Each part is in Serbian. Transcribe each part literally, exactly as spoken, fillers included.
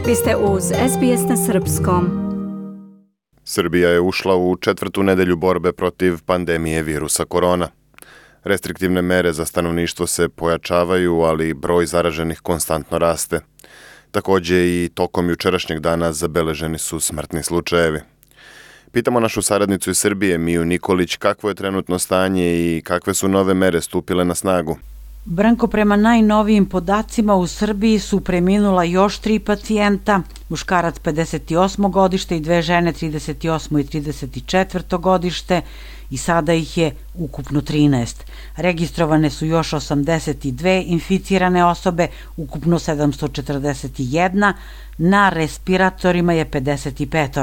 Vi ste uz S B S na srpskom. Srbija je ušla u četvrtu nedelju borbe protiv pandemije virusa korona. Restriktivne mere za stanovništvo se pojačavaju, ali broj zaraženih konstantno raste. Takođe i tokom jučerašnjeg dana zabeleženi su smrtni slučajevi. Pitamo našu saradnicu iz Srbije, Miju Nikolić, kakvo je trenutno stanje i kakve su nove mere stupile na snagu. Branko, prema najnovijim podacima u Srbiji su preminula još tri pacijenta, muškarac pedeset osmo godište i dve žene trideset osmo i trideset četvrto godište i sada ih je ukupno trinaest. Registrovane su još osamdeset dve inficirane osobe, ukupno sedamsto četrdeset jedna, na respiratorima je pedeset pet.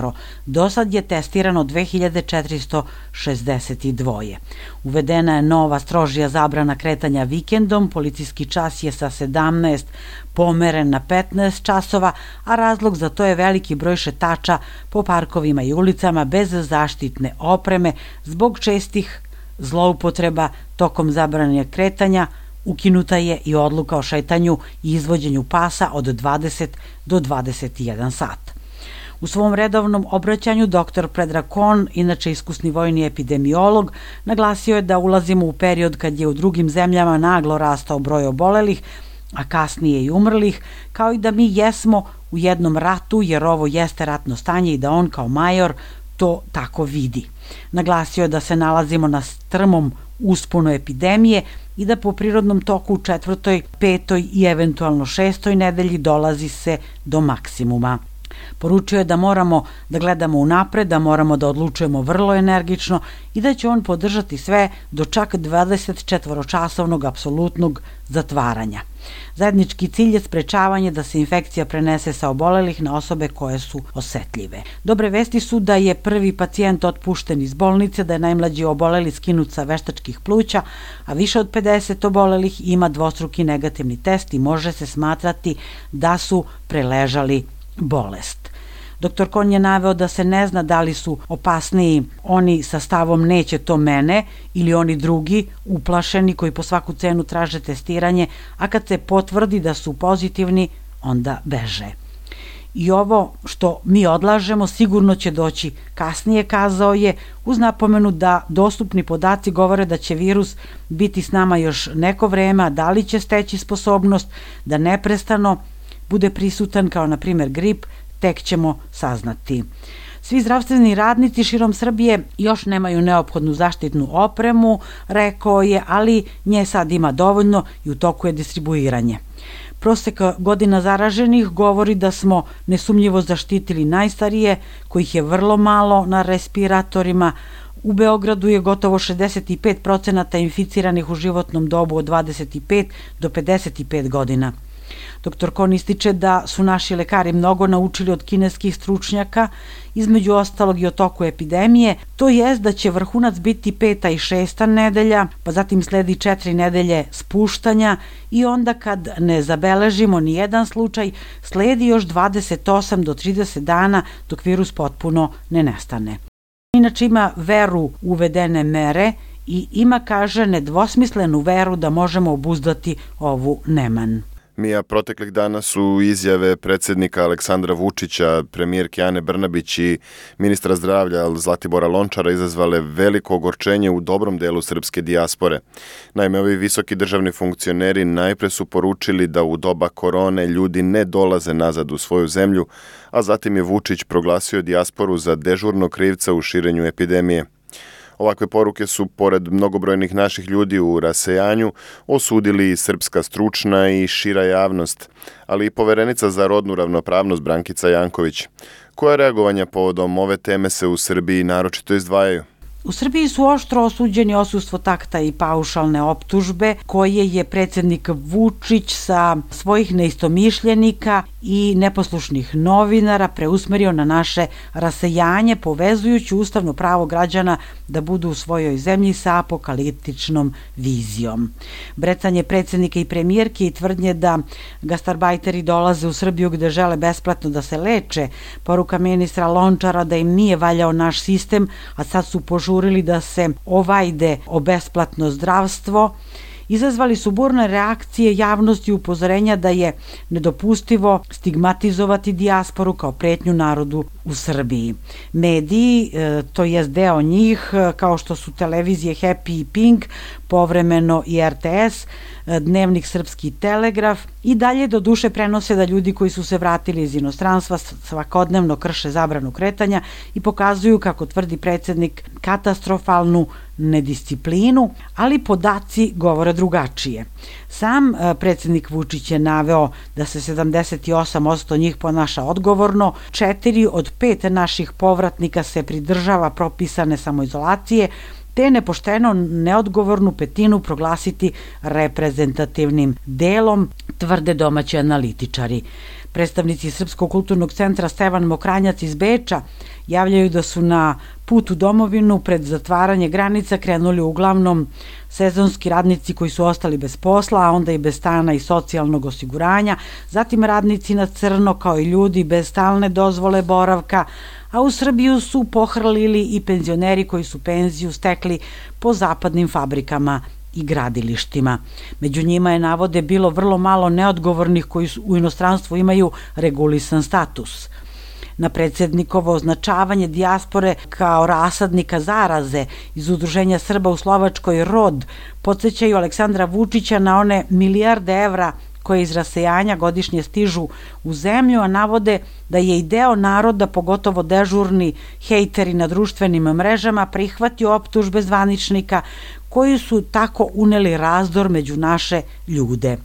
Do sad je testirano dve hiljade četiristo šezdeset dva. Uvedena je nova strožija zabrana kretanja vikendom, policijski čas je sa sedamnaest pomeren na petnaest časova, a razlog za to je veliki broj šetača po parkovima i ulicama bez zaštitne opreme zbog čestih zloupotreba tokom zabrane kretanja. Ukinuta je i odluka o šetanju i izvođenju pasa od dvadeset do dvadeset jedan sat. U svom redovnom obraćanju doktor Predrag Kon, inače iskusni vojni epidemiolog, naglasio je da ulazimo u period kad je u drugim zemljama naglo rastao broj obolelih, a kasnije i umrlih, kao i da mi jesmo u jednom ratu, jer ovo jeste ratno stanje i da on kao major to tako vidi. Naglasio je da se nalazimo na strmom usponu epidemije i da po prirodnom toku u četvrtoj, petoj i eventualno šestoj nedelji dolazi se do maksimuma. Poručio je da moramo da gledamo unapred, da moramo da odlučujemo vrlo energično i da će on podržati sve do čak dvadeset četvoročasovnog apsolutnog zatvaranja. Zajednički cilj je sprečavanje da se infekcija prenese sa obolelih na osobe koje su osetljive. Dobre vesti su da je prvi pacijent otpušten iz bolnice, da je najmlađi oboleli skinut sa veštačkih pluća, a više od pedeset obolelih ima dvostruki negativni test i može se smatrati da su preležali bolest. Doktor Kon je naveo da se ne zna da li su opasniji oni sa stavom neće to mene ili oni drugi, uplašeni, koji po svaku cenu traže testiranje, a kad se potvrdi da su pozitivni, onda beže. I ovo što mi odlažemo sigurno će doći kasnije, kazao je, uz napomenu da dostupni podaci govore da će virus biti s nama još neko vreme, a da li će steći sposobnost da neprestano bude prisutan kao na primjer grip, tek ćemo saznati. Svi zdravstveni radnici širom Srbije još nemaju neophodnu zaštitnu opremu, rekao je, ali nje sad ima dovoljno i u toku je distribuiranje. Prosek godina zaraženih govori da smo nesumnjivo zaštitili najstarije, kojih je vrlo malo na respiratorima. U Beogradu je gotovo šezdeset pet procenata inficiranih u životnom dobu od dvadeset pet do pedeset pet godina. Doktor Kon ističe da su naši lekari mnogo naučili od kineskih stručnjaka, između ostalog i o toku epidemije, to jest da će vrhunac biti peta i šesta nedelja, pa zatim sledi četiri nedelje spuštanja i onda kad ne zabeležimo ni jedan slučaj, sledi još dvadeset osam do trideset dana dok virus potpuno ne nestane. Inače ima veru u uvedene mere i ima, kaže, nedvosmislenu veru da možemo obuzdati ovu neman. Mija, proteklih dana su izjave predsjednika Aleksandra Vučića, premijerke Ane Brnabić i ministra zdravlja Zlatibora Lončara izazvale veliko ogorčenje u dobrom delu srpske dijaspore. Naime, ovi visoki državni funkcioneri najpre su poručili da u doba korone ljudi ne dolaze nazad u svoju zemlju, a zatim je Vučić proglasio dijasporu za dežurnog krivca u širenju epidemije. Ovakve poruke su, pored mnogobrojnih naših ljudi u rasejanju, osudili i srpska stručna i šira javnost, ali i poverenica za rodnu ravnopravnost Brankica Janković. Koja reagovanja povodom ove teme se u Srbiji naročito izdvajaju? U Srbiji su oštro osuđeni odsustvo takta i paušalne optužbe koje je predsjednik Vučić sa svojih neistomišljenika i neposlušnih novinara preusmerio na naše rasejanje, povezujući ustavno pravo građana da budu u svojoj zemlji sa apokaliptičnom vizijom. Brecanje predsjednika i premijerke i tvrdnje da gastarbajteri dolaze u Srbiju gde žele besplatno da se leče, poruka ministra Lončara da im nije valjao naš sistem, a sad su požurili da se ovajde o besplatno zdravstvo izazvali su burne reakcije javnosti i upozorenja da je nedopustivo stigmatizovati dijasporu kao pretnju narodu u Srbiji. Mediji, to jest deo njih, kao što su televizije Happy i Pink, povremeno i R T S, Dnevnik Srpski Telegraf, i dalje do duše prenose da ljudi koji su se vratili iz inostranstva svakodnevno krše zabranu kretanja i pokazuju, kako tvrdi predsjednik, katastrofalnu nedisciplinu, ali podaci govore drugačije. Sam predsjednik Vučić je naveo da se sedamdeset osam posto njih ponaša odgovorno, četiri od pet naših povratnika se pridržava propisane samoizolacije, te nepošteno neodgovornu petinu proglasiti reprezentativnim delom, tvrde domaći analitičari. Predstavnici Srpskog kulturnog centra Stevan Mokranjac iz Beča javljaju da su na put u domovinu pred zatvaranje granica krenuli uglavnom sezonski radnici koji su ostali bez posla, a onda i bez stana i socijalnog osiguranja, zatim radnici na crno, kao i ljudi bez stalne dozvole boravka, a u Srbiju su pohrlili i penzioneri koji su penziju stekli po zapadnim fabrikama i gradilištima. Među njima je, navode, bilo vrlo malo neodgovornih koji u inostranstvu imaju regulisan status. Na predsjednikovo označavanje dijaspore kao rasadnika zaraze iz Udruženja Srba u Slovačkoj ROD podsjećaju Aleksandra Vučića na one milijarde evra koje iz rasejanja godišnje stižu u zemlju, a navode da je i deo naroda, pogotovo dežurni hejteri na društvenim mrežama, prihvatio optužbe zvaničnika koji su tako uneli razdor među naše ljude.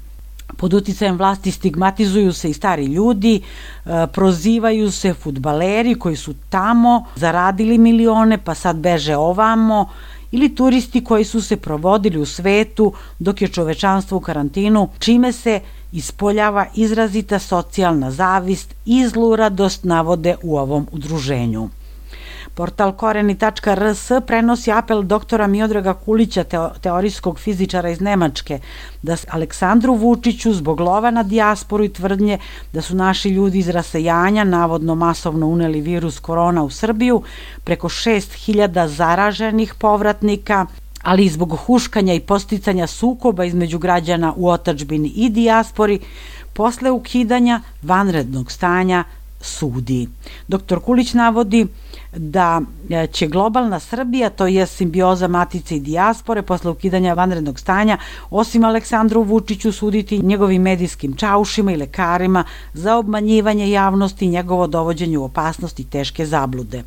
Pod uticajem vlasti stigmatizuju se i stari ljudi, prozivaju se fudbaleri koji su tamo zaradili milione pa sad beže ovamo, ili turisti koji su se provodili u svetu dok je čovečanstvo u karantinu, čime se ispoljava izrazita socijalna zavist i zluradost, navode u ovom udruženju. Portal koreni tačka r s prenosi apel doktora Miodraga Kulića, teorijskog fizičara iz Nemačke, da Aleksandru Vučiću zbog lova na dijasporu i tvrdnje da su naši ljudi iz rasejanja navodno masovno uneli virus korona u Srbiju, preko šest hiljada zaraženih povratnika, ali i zbog huškanja i posticanja sukoba između građana u otadžbini i dijaspori, posle ukidanja vanrednog stanja sudi. Doktor Kulić navodi da će globalna Srbija, to je simbioza matice i dijaspore, posle ukidanja vanrednog stanja, osim Aleksandru Vučiću, suditi njegovim medijskim čaušima i lekarima za obmanjivanje javnosti i njegovo dovođenje u opasnost i teške zablude.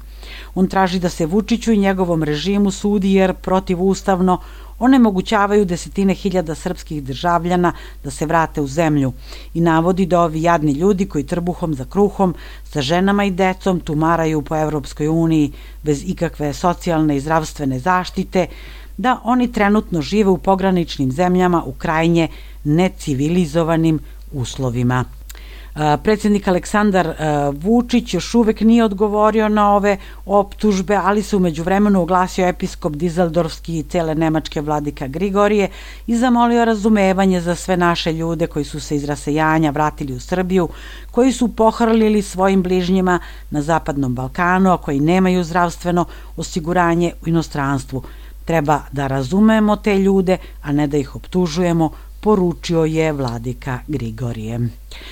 On traži da se Vučiću i njegovom režimu sudi jer protivustavno onemogućavaju desetine hiljada srpskih državljana da se vrate u zemlju i navodi da ovi jadni ljudi koji trbuhom za kruhom sa ženama i decom tumaraju po Evropskoj uniji bez ikakve socijalne i zdravstvene zaštite, da oni trenutno žive u pograničnim zemljama u krajnje necivilizovanim uslovima. Predsjednik Aleksandar Vučić još uvek nije odgovorio na ove optužbe, ali se umeđu vremenu oglasio episkop Dizeldorfski i cele nemačke vladika Grigorije i zamolio razumevanje za sve naše ljude koji su se iz rasejanja vratili u Srbiju, koji su pohrlili svojim bližnjima na Zapadnom Balkanu, a koji nemaju zdravstveno osiguranje u inostranstvu. Treba da razumemo te ljude, a ne da ih optužujemo, poručio je vladika Grigorije.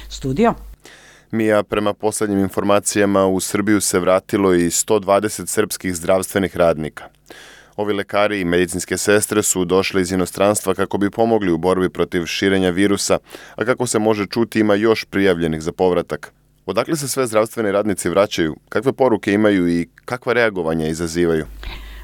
Studio. Mija, prema poslednjim informacijama u Srbiju se vratilo i sto dvadeset srpskih zdravstvenih radnika. Ovi lekari i medicinske sestre su došli iz inostranstva kako bi pomogli u borbi protiv širenja virusa, a kako se može čuti ima još prijavljenih za povratak. Odakle se sve zdravstveni radnici vraćaju, kakve poruke imaju i kakva reagovanja izazivaju?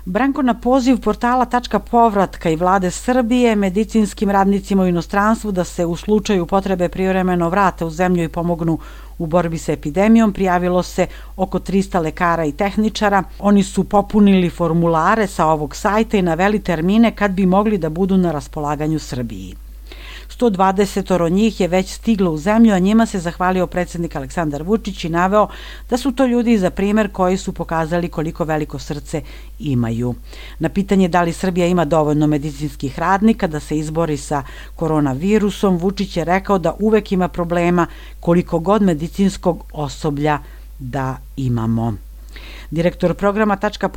Branko, na poziv portala Tačka povratka i vlade Srbije medicinskim radnicima u inostranstvu da se u slučaju potrebe privremeno vrate u zemlju i pomognu u borbi sa epidemijom prijavilo se oko trista lekara i tehničara. Oni su popunili formulare sa ovog sajta i naveli termine kad bi mogli da budu na raspolaganju Srbiji. sto dvadeset njih je već stiglo u zemlju, a njima se zahvalio predsjednik Aleksandar Vučić i naveo da su to ljudi za primer koji su pokazali koliko veliko srce imaju. Na pitanje da li Srbija ima dovoljno medicinskih radnika da se izbori sa koronavirusom, Vučić je rekao da uvek ima problema koliko god medicinskog osoblja da imamo. Direktor programa Tačka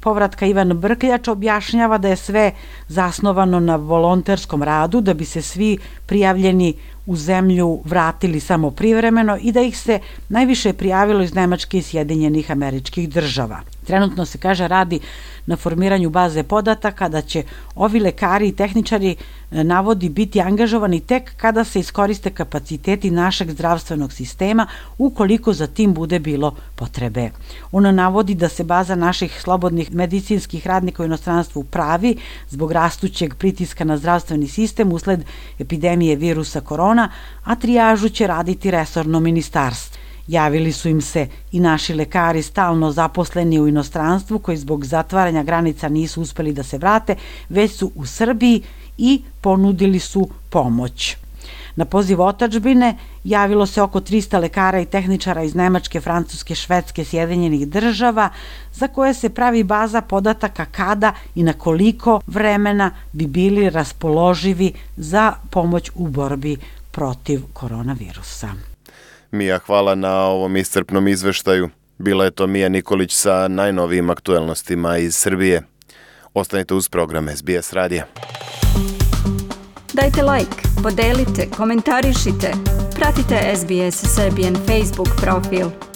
povratka Ivan Brkljač objašnjava da je sve zasnovano na volonterskom radu, da bi se svi prijavljeni u zemlju vratili samo privremeno i da ih se najviše prijavilo iz Nemačke i Sjedinjenih Američkih Država. Trenutno se, kaže, radi na formiranju baze podataka da će ovi lekari i tehničari, navodi, biti angažovani tek kada se iskoriste kapaciteti našeg zdravstvenog sistema, ukoliko za tim bude bilo potrebe. Ona navodi da se baza naših slobodnih medicinskih radnika u inostranstvu pravi zbog rastućeg pritiska na zdravstveni sistem usled epidemije virusa korona, a trijažu će raditi resorno ministarstvo. Javili su im se i naši lekari stalno zaposleni u inostranstvu koji zbog zatvaranja granica nisu uspeli da se vrate, već su u Srbiji i ponudili su pomoć. Na poziv otadžbine javilo se oko trista lekara i tehničara iz Nemačke, Francuske, Švedske, Sjedinjenih Država, za koje se pravi baza podataka kada i na koliko vremena bi bili raspoloživi za pomoć u borbi protiv koronavirusa. Mija, hvala na ovom iscrpnom izveštaju. Bila je to Mija Nikolić sa najnovijim aktuelnostima iz Srbije. Ostanite uz program S B S radija. Dajte like, podelite, komentarišite. Pratite S B S Serbian Facebook profil.